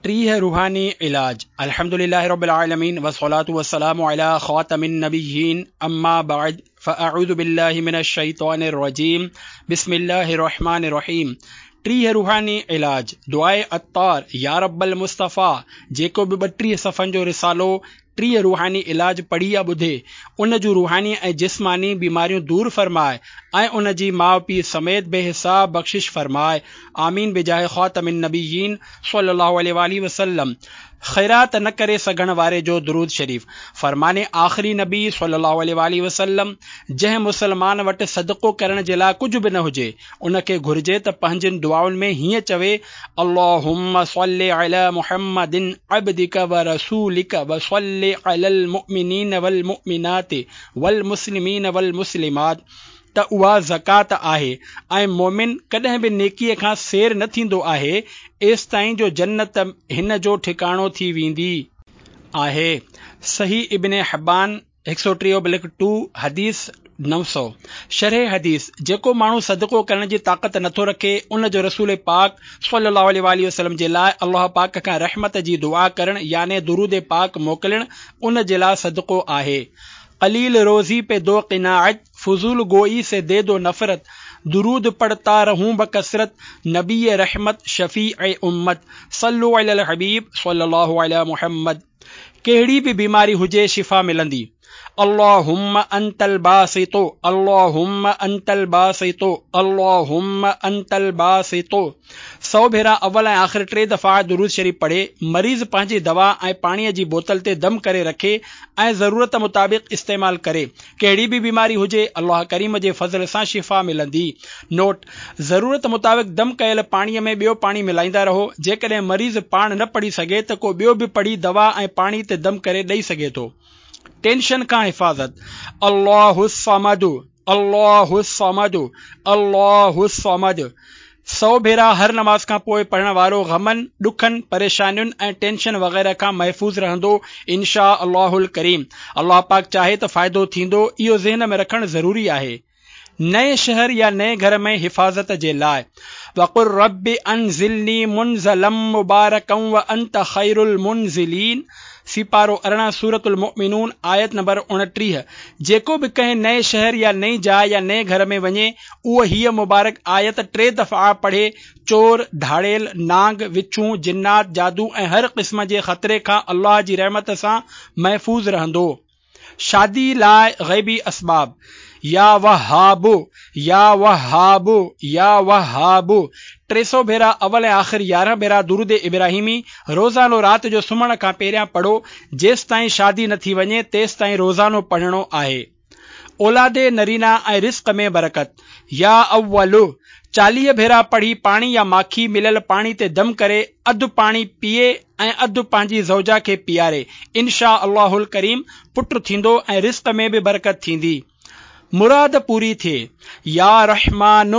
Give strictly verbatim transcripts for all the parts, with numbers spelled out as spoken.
ٽيهه روحاني علاج. الحمد لله رب العالمين والصلاة والسلام على خاتم النبيين، اما بعد، فاعوذ بالله من الشيطان الرجيم، بسم الله الرحمن الرحيم. ٽيهه روحاني علاج، دعاء عطار، يا رب المصطفيٰ. جيڪو به ٻٽيهه صفحن جو رسالو ٽيهه روحاني علاج پڙهي يا ٻڌي، ان جون روحاني ۽ جسماني بيماريون دور فرماء ۽ ان جي ماء پيء سميت بي حساب بخشش فرماء. آمين بجاه خاتم النبيين صلي الله عليه واله وسلم. خيرات نه ڪري سگهڻ واري جو درود شريف. فرمان آخري نبي صلي الله عليه واله وسلم، جنهن مسلمان وٽ صدقو ڪرڻ جي لاء ڪجهه به نه هجي، ان کي گهرجي ته پنهنجين دعائن ۾ هيئن چوي: اللهم صل علي محمد عبدك ورسولك وصل على المؤمنين والمؤمنات والمسلمين والمسلمات، ته اها زڪوات آهي ۽ مومن ڪڏهن به نيڪيء کان سير نه ٿيندو آهي، ايستائين جو جنت هن جو ٺڪاڻو ٿي ويندي آهي. صحيح ابن حبان هڪ سؤ ٽيهه بلڪ ٽو، حديث نو سؤ. شرح حديث: جيڪو ماڻهو صدقو ڪرڻ جي طاقت نٿو رکي، ان جو رسول پاڪ صلي الله عليه واله وسلم جي لاء الله پاڪ کان رحمت جي دعا ڪرڻ، يعني درود پاڪ موڪلڻ، ان جي لاء صدقو آهي. قليل روزي پي دو قناعت، فضول گوئي سي the دو نفرت، درود پڙهتا رهون بڪثرت، نبي رحمت، شفيع امت، صلوا علي الحبيب صلي الله علي محمد. ڪهڙي به بيماري هجي، شفا ملندي. اللهم انت الباسط، اللهم انت الباسط، اللهم انت الباسط، سؤ ڀيرا اول ۽ آخر ٽي دفعا درود شريف پڙهي. مريض پنهنجي دوا ۽ پاڻيء جي بوتل تي دم ڪري رکي ۽ ضرورت مطابق استعمال ڪري. ڪهڙي به بيماري هجي، الله ڪريم جي فضل سان شفا ملندي. نوٽ: ضرورت مطابق دم ڪيل پاڻيء ۾ ٻيو پاڻي ملائيندا رهو. جيڪڏهن مريض پاڻ نه پڙهي سگهي ته ڪو ٻيو به پڙهي دوا ۽ پاڻي تي دم ڪري ڏئي سگهي ٿو. ٽينشن کان حفاظت. الله الصمد، الله الصمد، الله الصمد، سؤ ڀيرا هر نماز کان پوء پڙهڻ وارو غمن، ڏکن، پريشانين ۽ ٽينشن وغيره کان محفوظ رهندو انشاء الله الڪريم. الله پاڪ چاهي ته فائدو ٿيندو، اهو ذهن ۾ رکڻ ضروري آهي. نئين شهر يا نئين گهر ۾ حفاظت جي لاء وقل رب انزلني منزلا مبارڪا وانت خير المنزلين، سيپارو ارڙهن، سورة المؤمنون، آيت نمبر اڻٽيهه. جيڪو به ڪنهن نئين شهر يا نئين جاء يا نئين گهر ۾ وڃي، اهو هيء مبارڪ آيت ٽي دفعا پڙهي، چور، ڌاڙيل، نانگ، وڇون، جنات، جادو ۽ هر قسم جي خطري کان الله جي رحمت سان محفوظ رهندو. شادي لاء غيبي اسباب. يا وهاب، يا وهاب، يا وهاب، ٽي سؤ ڀيرا اول ۽ آخر يارهن ڀيرا درود ابراهيمي روزانو رات جو سمهڻ کان پهريان پڙهو. جيستائين شادي نه ٿي وڃي، تيستائين روزانو پڙهڻو آهي. اولاد نرينا ۽ رزق ۾ برڪت. يا اول، چاليهه ڀيرا پڙهي پاڻي يا ماکي مليل پاڻي تي دم ڪري اڌ پاڻي پيئي ۽ اڌ پنهنجي زوجه کي پياري. انشاء الله الڪريم پٽ ٿيندو ۽ رزق ۾ به برڪت ٿيندي. مراد پوري ٿئي. يا رحمان،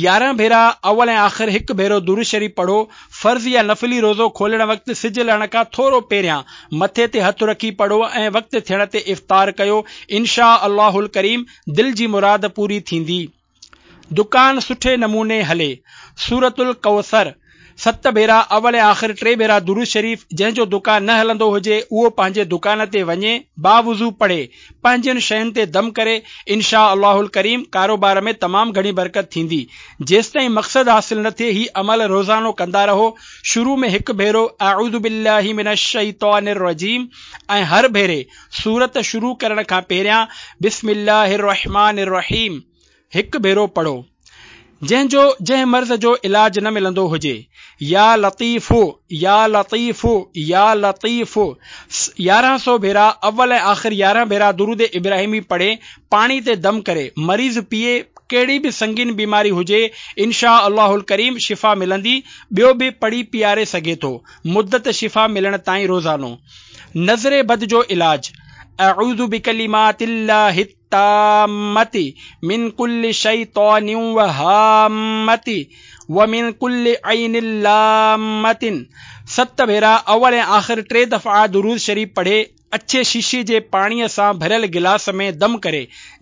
يارهن ڀيرا اول ۽ آخر هڪ ڀيرو درود شريف پڙهو. فرض يا نفلي روزو کولڻ وقت سج لهڻ کان ٿورو پهريان مٿي تي هٿ رکي پڙهو ۽ وقت ٿيڻ تي افطار ڪيو. انشاء الله الڪريم دل جي مراد پوري ٿيندي. دڪان سٺي نموني هلي. سورة الڪوثر ست ڀيرا اول ۽ آخر ٽي ڀيرا درود شريف. جنهن جو دڪان نه هلندو هجي، اهو پنهنجي دڪان تي وڃي باوضو پڙهي، پنهنجين شين تي دم ڪري. انشاء الله الڪريم ڪاروبار ۾ تمام گهڻي برڪت ٿيندي. جيستائين مقصد حاصل نه ٿئي، هي عمل روزانو ڪندا رهو. شروع ۾ هڪ ڀيرو اعوذ بالله من الشيطان الرجيم ۽ هر ڀيري سورت شروع ڪرڻ کان پهريان بسم الله الرحمن الرحيم هڪ ڀيرو پڙهو. جنهن جو جنهن مرض جو علاج نه ملندو هجي، يا لطيف، يا لطيف، يا لطيف، يارهن سؤ ڀيرا اول ۽ آخر يارهن ڀيرا درود ابراهيمي پڙهي پاڻي تي دم ڪري مريض پيئي، ڪهڙي به سنگين بيماري هجي، انشاء الله الڪريم شفا ملندي. ٻيو به پڙهي پياري سگهي ٿو، مدت شفا ملڻ تائين روزانو. نظر بد جو علاج. اعوذ بڪلمات الله التامة من ڪل شيطان وهامة ومن ڪل عين لامة، ست ڀيرا اول ۽ آخر ٽي دفعا درود شريف پڙهي. اڇي شيشي جي پاڻيء سان ڀريل گلاس ۾ دم ڪري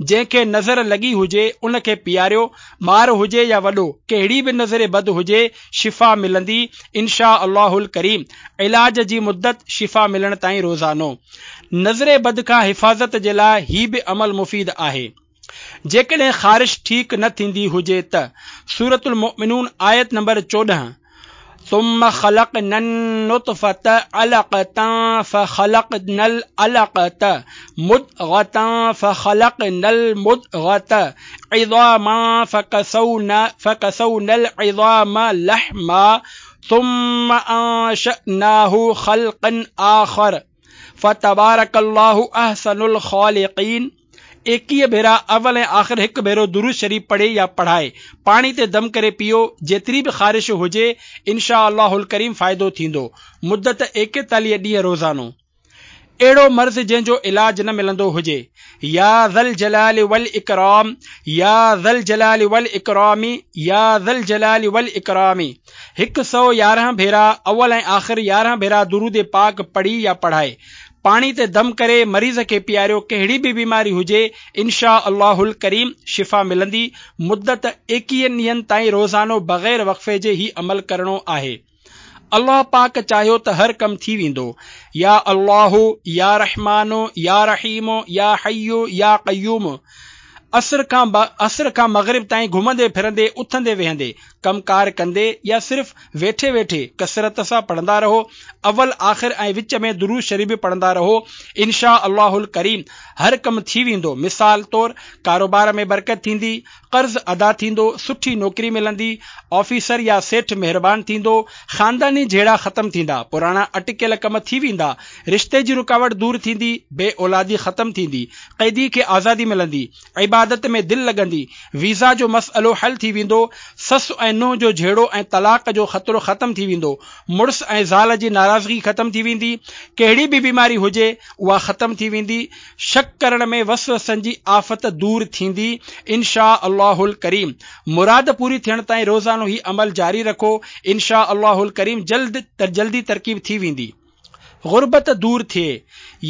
جنهن کي نظر لڳي هجي ان کي پياريو، ٻار هجي يا وڏو، ڪهڙي به نظر بد هجي شفا ملندي انشاء الله الڪريم. علاج جي مدت شفا ملڻ تائين روزانو. نظر بد کان حفاظت جي لاء هي به عمل مفيد آهي. جيڪڏهن خارش ٺيڪ نه ٿيندي هجي ته سورة المؤمنون آيت نمبر چوڏهن ثم خلقنا النطفة علقة فخلقنا العلقة مضغة فخلقنا المضغة عظاما فكسونا فكسونا العظام لحما ثم أنشأناه خلقا آخر فتبارك الله أحسن الخالقين. ايڪويهه ڀيرا اول ۽ آخر هڪ ڀيرو درود شريف پڙهي يا پڙهائي پاڻي تي دم ڪري پيئو، جيتري به خارش هجي انشاء الله الڪريم فائدو ٿيندو. مدت ايڪيتاليهه ڏينهن روزانو. اهڙو مرض جنهن جو علاج نه ملندو هجي. يا ذا الجلال والاڪرام يا ذا الجلال والاڪرام يا ذا الجلال والاڪرام هڪ سؤ يارهن ڀيرا اول ۽ آخر يارهن ڀيرا درود پاڪ پڙهي يا پڙهائي پاڻي تي دم ڪري مريض کي پياريو، ڪهڙي به بيماري هجي انشاء الله الڪريم شفا ملندي. مدت ايڪويهن ڏينهن تائين روزانو بغير وقفي جي هي عمل ڪرڻو آهي. الله پاڪ چاهيو ته هر ڪم ٿي ويندو. يا الله يا رحمان يا رحيم يا حي يا قيوم. عصر کان عصر کان مغرب تائين گهمندي ڦرندي، اٿندي ويهندي، ڪم ڪار ڪندي يا صرف ويٺي ويٺي ڪثرت سان پڙهندا رهو. اول آخر ۽ وچ ۾ درود شريف به پڙهندا رهو. انشاء الله الڪريم هر ڪم ٿي ويندو. مثال طور ڪاروبار ۾ برڪت ٿيندي، قرض ادا ٿيندو، سٺي نوڪري ملندي، آفيسر يا سيٺ مهربان ٿيندو، خانداني جهيڙا ختم ٿيندا، پراڻا اٽڪيل ڪم ٿي ويندا، رشتي جي رڪاوٽ دور ٿيندي، بي اولادي ختم ٿيندي، قيدي کي آزادي ملندي، عبادت ۾ دل لڳندي، ويزا جو مسئلو حل ٿي ويندو، سس ۽ ننهن جو جهيڙو ۽ طلاق جو خطرو ختم ٿي ويندو، مڙس ۽ زال جي ناراضگي ختم ٿي ويندي، ڪهڙي به بيماري هجي اها ختم ٿي ويندي، شڪ ڪرڻ ۾ وسوسن جي آفت دور ٿيندي انشاء الله الڪريم. مراد پوري ٿيڻ تائين روزانو هي عمل جاري رکو انشاء الله الڪريم جلد جلدي ترڪيب ٿي ويندي. غربت دور ٿئي.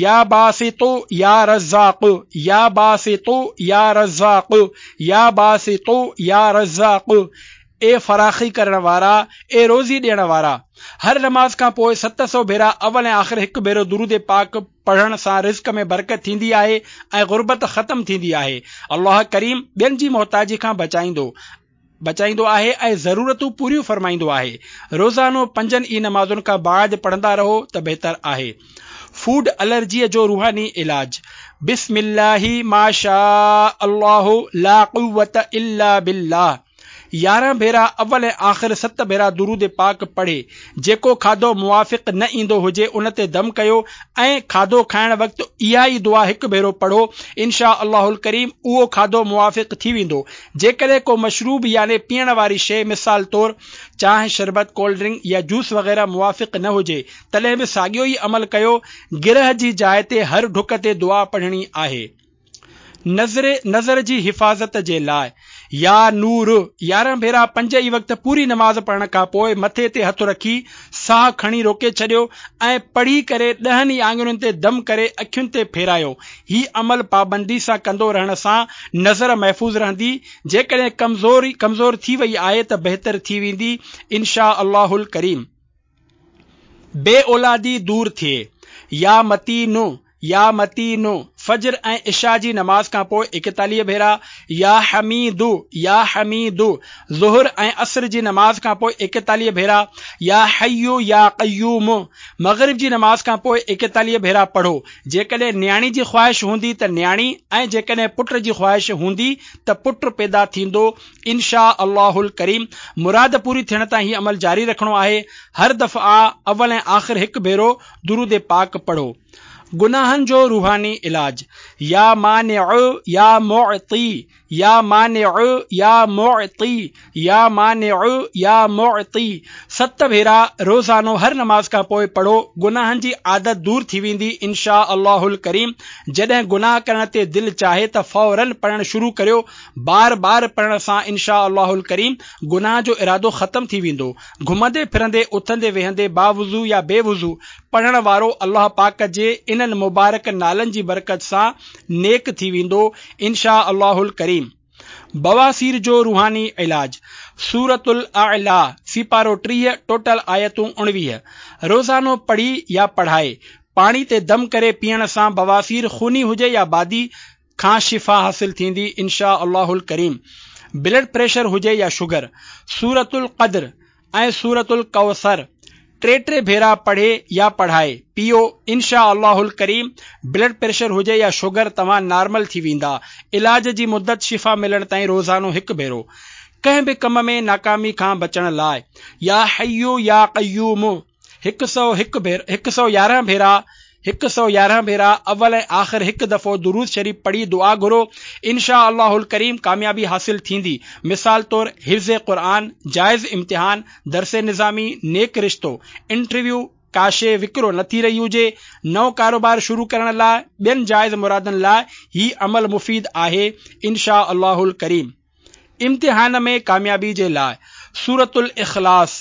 يا باسط يا رزاق يا باسط يا رزاق يا باسط يا رزاق. اي فراخي ڪرڻ وارا، اي روزي ڏيڻ وارا. هر نماز کان پوء ست سؤ ڀيرا اول ۽ آخر هڪ ڀيرو درود پاڪ پڙهڻ سان رزق ۾ برڪت ٿيندي آهي ۽ غربت ختم ٿيندي آهي. الله ڪريم ٻين جي محتاجي کان بچائيندو بچائيندو آهي ۽ ضرورتون پوريون فرمائيندو آهي. روزانو پنجن ئي نمازن کان بعد پڙهندا رهو ته بهتر آهي. فوڊ الرجيء جو روحاني علاج. بسم الله ما شاء الله لا قوة الا بالله يارهن ڀيرا اول ۽ آخر ست ڀيرا درود پاڪ پڙهي جيڪو کاڌو موافق نه ايندو هجي ان تي دم ڪيو ۽ کاڌو کائڻ وقت اها ئي دعا هڪ ڀيرو پڙهو انشاء الله الڪريم اهو کاڌو موافق ٿي ويندو. جيڪڏهن ڪو مشروب يعني پيئڻ واري شيء مثال طور چانهه، شربت، ڪولڊ ڊرنڪ يا جوس وغيره موافق نه هجي تڏهن به ساڳيو ئي عمل ڪيو. گرهه جي جاء تي هر ڍڪ تي دعا پڙهڻي آهي. نظر نظر جي حفاظت جي لاء يا نور يارهن ڀيرا پنج ئي وقت پوري نماز پڙهڻ کان پوء مٿي تي هٿ رکي ساهه کڻي روڪي ڇڏيو ۽ پڙهي ڪري ڏهن ئي آڱرين تي دم ڪري اکين تي ڦيرايو. هي عمل پابندي سان ڪندو رهڻ سان نظر محفوظ رهندي. جيڪڏهن ڪمزور ڪمزور ٿي وئي آهي ته بهتر ٿي ويندي انشاء الله الڪريم. بي اولادي دور ٿئي. يا متين يا متين فجر ۽ عشاء جي نماز کان پوء ايڪيتاليهه ڀيرا، يا حميد يا حميد ظهر ۽ عصر جي نماز کان پوء ايڪيتاليهه ڀيرا، يا حي يا قيوم مغرب جي نماز کان پوء ايڪيتاليهه ڀيرا پڙهو. جيڪڏهن نياڻي جي خواهش هوندي ته نياڻي ۽ جيڪڏهن پٽ جي خواهش هوندي ته پٽ پيدا ٿيندو انشاء الله الڪريم. مراد پوري ٿيڻ تائين هي عمل جاري رکڻو آهي. هر دفعا اول ۽ آخر هڪ ڀيرو درود پاڪ پڙهو. گناهن جو روحاني علاج. يا مانع يا معطي يا مانع يا معطي يا مانع يا معطي ست ڀيرا روزانو هر نماز کان پوءِ پڙهو، گناهن جي عادت دور ٿي ويندي انشاء الله الڪريم. جڏهن گناهه ڪرڻ تي دل چاهي ته فورن پڙهڻ شروع ڪريو، بار بار پڙهڻ سان انشاء الله الڪريم گناهه جو ارادو ختم ٿي ويندو. گهمندي ڦرندي، اٿندي ويهندي، باوضو يا بي وضو پڙهڻ وارو الله پاڪ جي انهن مبارڪ نالن جي برڪت سان نيڪ ٿي ويندو انشاء الله الڪريم. بواسير جو روحاني علاج، سورة الاعليٰ سيپارو ٽيهه، ٽوٽل آيتون اڻويهه، روزانو پڙهي يا پڙهائي، پاڻي تي دم ڪري پيئڻ سان بواسير خوني هجي يا بادي کان شفا حاصل ٿيندي انشاء الله الڪريم. بلڊ پريشر هجي يا شگر، سورة القدر ۽ سورة الڪوثر ٽي ٽي ڀيرا پڙهي يا پڙهائي پيئو انشاء الله الڪريم بلڊ پريشر هجي يا شگر توهان نارمل ٿي ويندا. علاج جي مدت شفا ملڻ تائين روزانو هڪ ڀيرو. ڪنهن به ڪم ۾ ناڪامي کان بچڻ لاءِ يا حي يا قيوم هڪ سؤ هڪ ڀيرا، هڪ سؤ يارهن ڀيرا، هڪ سؤ يارهن ڀيرا اول ۽ آخر هڪ دفعو درود شريف پڙهي دعا گهرو انشاء الله الڪريم ڪاميابي حاصل ٿيندي. مثال طور حفظ قرآن، جائز امتحان، درس نظامي، نيڪ رشتو، انٽرويو، ڪا شيءِ وڪرو نه ٿي رهي هجي، نئون ڪاروبار شروع ڪرڻ لاءِ، ٻين جائز مرادن لاءِ هي عمل مفيد آهي انشاء الله الڪريم. امتحان ۾ ڪاميابي جي لاءِ سورة الاخلاص،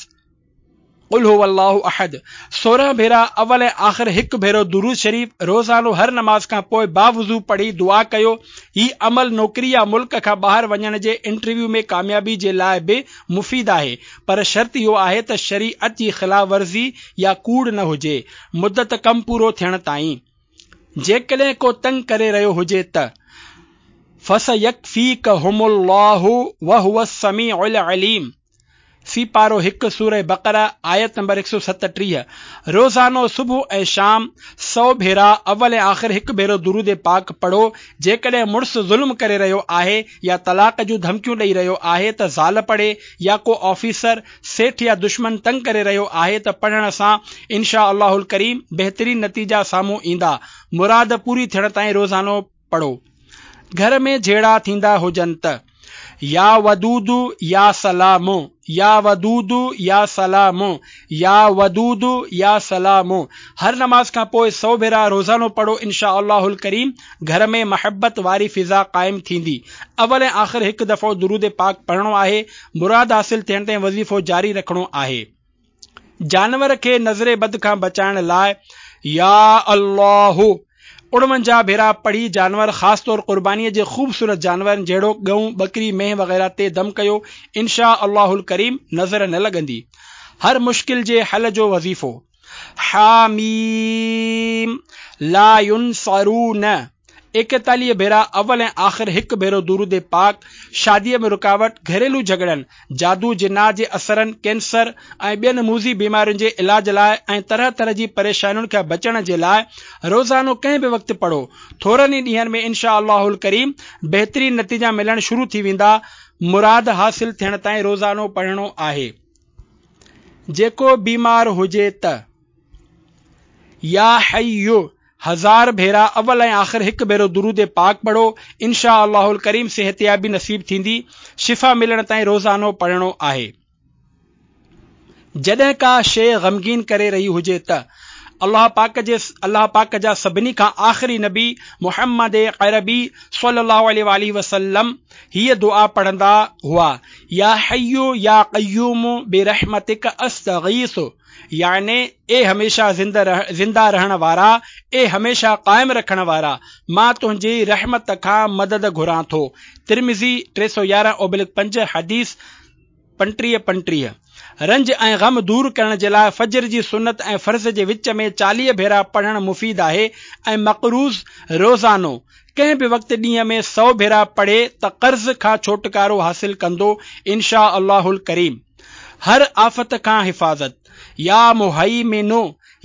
قل هو الله احد سورهن ڀيرا اول ۽ آخر هڪ ڀيرو درود شريف روزانو هر نماز کان پوءِ باوضو پڙهي دعا ڪيو. هي عمل نوڪري يا ملڪ کان ٻاهر وڃڻ جي انٽرويو ۾ ڪاميابي جي لاءِ به مفيد آهي، پر شرط اهو آهي ته شريعت جي خلاف ورزي يا ڪوڙ نه هجي. مدت ڪم پورو ٿيڻ تائين. جيڪڏهن ڪو تنگ ڪري رهيو هجي ته فسيڪفيڪهم الله وهو السميع العليم سيپارو هڪ، سورة بقره آيت نمبر هڪ سؤ ستٽيهه، روزانو صبح ۽ شام سؤ ڀيرا اول ۽ آخر هڪ ڀيرو درود پاڪ پڙهو. جيڪڏهن مڙس ظلم ڪري رهيو آهي يا طلاق جون ڌمڪيون ڏئي رهيو آهي ته زال پڙهي، يا ڪو آفيسر، سيٺ يا دشمن تنگ ڪري رهيو آهي ته پڙهڻ سان انشاء الله الڪريم بهترين نتيجا سامهون ايندا. مراد پوري ٿيڻ تائين روزانو پڙهو. گهر ۾ جهيڙا ٿيندا هجن ته يا ودود يا سلام، يا ودود يا سلام، يا ودود يا سلام هر نماز کان پوءِ سؤ ڀيرا روزانو پڙهو انشاء الله الڪريم گهر ۾ محبت واري فضا قائم ٿيندي. اول ۽ آخر هڪ دفعو درود پاڪ پڙهڻو آهي. مراد حاصل ٿيڻ تائين وظيفو جاري رکڻو آهي. جانور کي نظر بد کان بچائڻ لاءِ يا الله اڻونجاهه ڀيرا پڙهي جانور، خاص طور قربانيءَ جي خوبصورت جانورن جهڙو ڳئون، ٻڪري، مينهن وغيره تي دم ڪيو انشاء الله الڪريم نظر نه لڳندي. هر مشڪل جي حل جو وظيفو حاميم لا ينصرون ايڪيتاليهه ڀيرا اول ۽ آخر هڪ ڀيرو درود پاڪ. شاديءَ ۾ رڪاوٽ، گهريلو جهڳڙن، جادو جنات جي اثرن، ڪينسر ۽ ٻين موذي بيمارين جي علاج لاءِ ۽ طرح طرح جي پريشانين کان بچڻ جي لاءِ روزانو ڪنهن به وقت پڙهو. ٿورن ئي ڏينهن ۾ انشاء الله الڪريم بهترين نتيجا ملڻ شروع ٿي ويندا. مراد حاصل ٿيڻ تائين روزانو پڙهڻو آهي. جيڪو بيمار هجي ته يا حي هزار ڀيرا اول ۽ آخر هڪ ڀيرو درود پاڪ پڙهو انشاء الله الڪريم صحتيابي نصيب ٿيندي. شفا ملڻ تائين روزانو پڙهڻو آهي. جڏهن ڪا شيءِ غمگين ڪري رهي هجي ته الله پاڪ جي الله پاڪ جا سڀني کان آخري نبي محمد عربي صلي الله عليه وآله وسلم هيءَ دعا پڙهندا هئا، يا حي يا قيوم برحمتڪ استغيث، يعني اي هميشه زنده زنده رهڻ وارا، اي هميشه قائم رکڻ وارا، مان تنهنجي رحمت کان مدد گهران ٿو. ترمذي ٽي سؤ يارهن اوبلڪ پنج، حديث پنٽيهه پنٽيهه. رنج ۽ غم دور ڪرڻ جي لاءِ فجر جي سنت ۽ فرض جي وچ ۾ چاليهه ڀيرا پڙهڻ مفيد آهي ۽ مقروض روزانو ڪنهن به وقت ڏينهن ۾ سؤ ڀيرا پڙهي ته قرض کان ڇوٽڪارو حاصل ڪندو انشاء الله الڪريم. هر آفت کان حفاظت يا مهيمن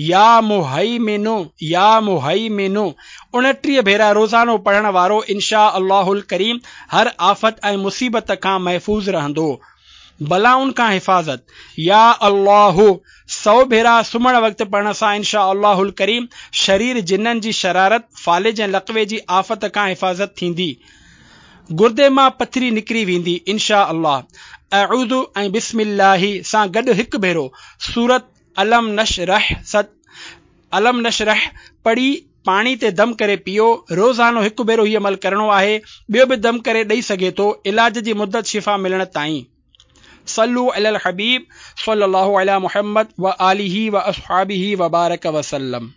يا مهيمن يا مهيمن اڻٽيهه ڀيرا روزانو پڙهڻ وارو انشاء الله الڪريم هر آفت ۽ مصيبت کان محفوظ رهندو. بلائن کان حفاظت يا الله سؤ ڀيرا سمهڻ وقت پڙهڻ سان انشاء الله الڪريم شرير جنن جي شرارت، فالج ۽ لقوي جي آفت کان حفاظت ٿيندي. گردي مان پٿري نڪري ويندي انشاء الله. اعوذ ۽ بسم الله سان گڏ هڪ ڀيرو سورت الم نشرح ست الم نشرح پڙهي پاڻي تي دم ڪري پيئو. روزانو هڪ ڀيرو هي عمل ڪرڻو آهي. ٻيو به دم ڪري ڏئي سگهي ٿو علاج جي مدت شفا ملڻ تائين. صلو علی الحبيب صلي الله علی محمد وآله واصحابه وبارڪ وسلم.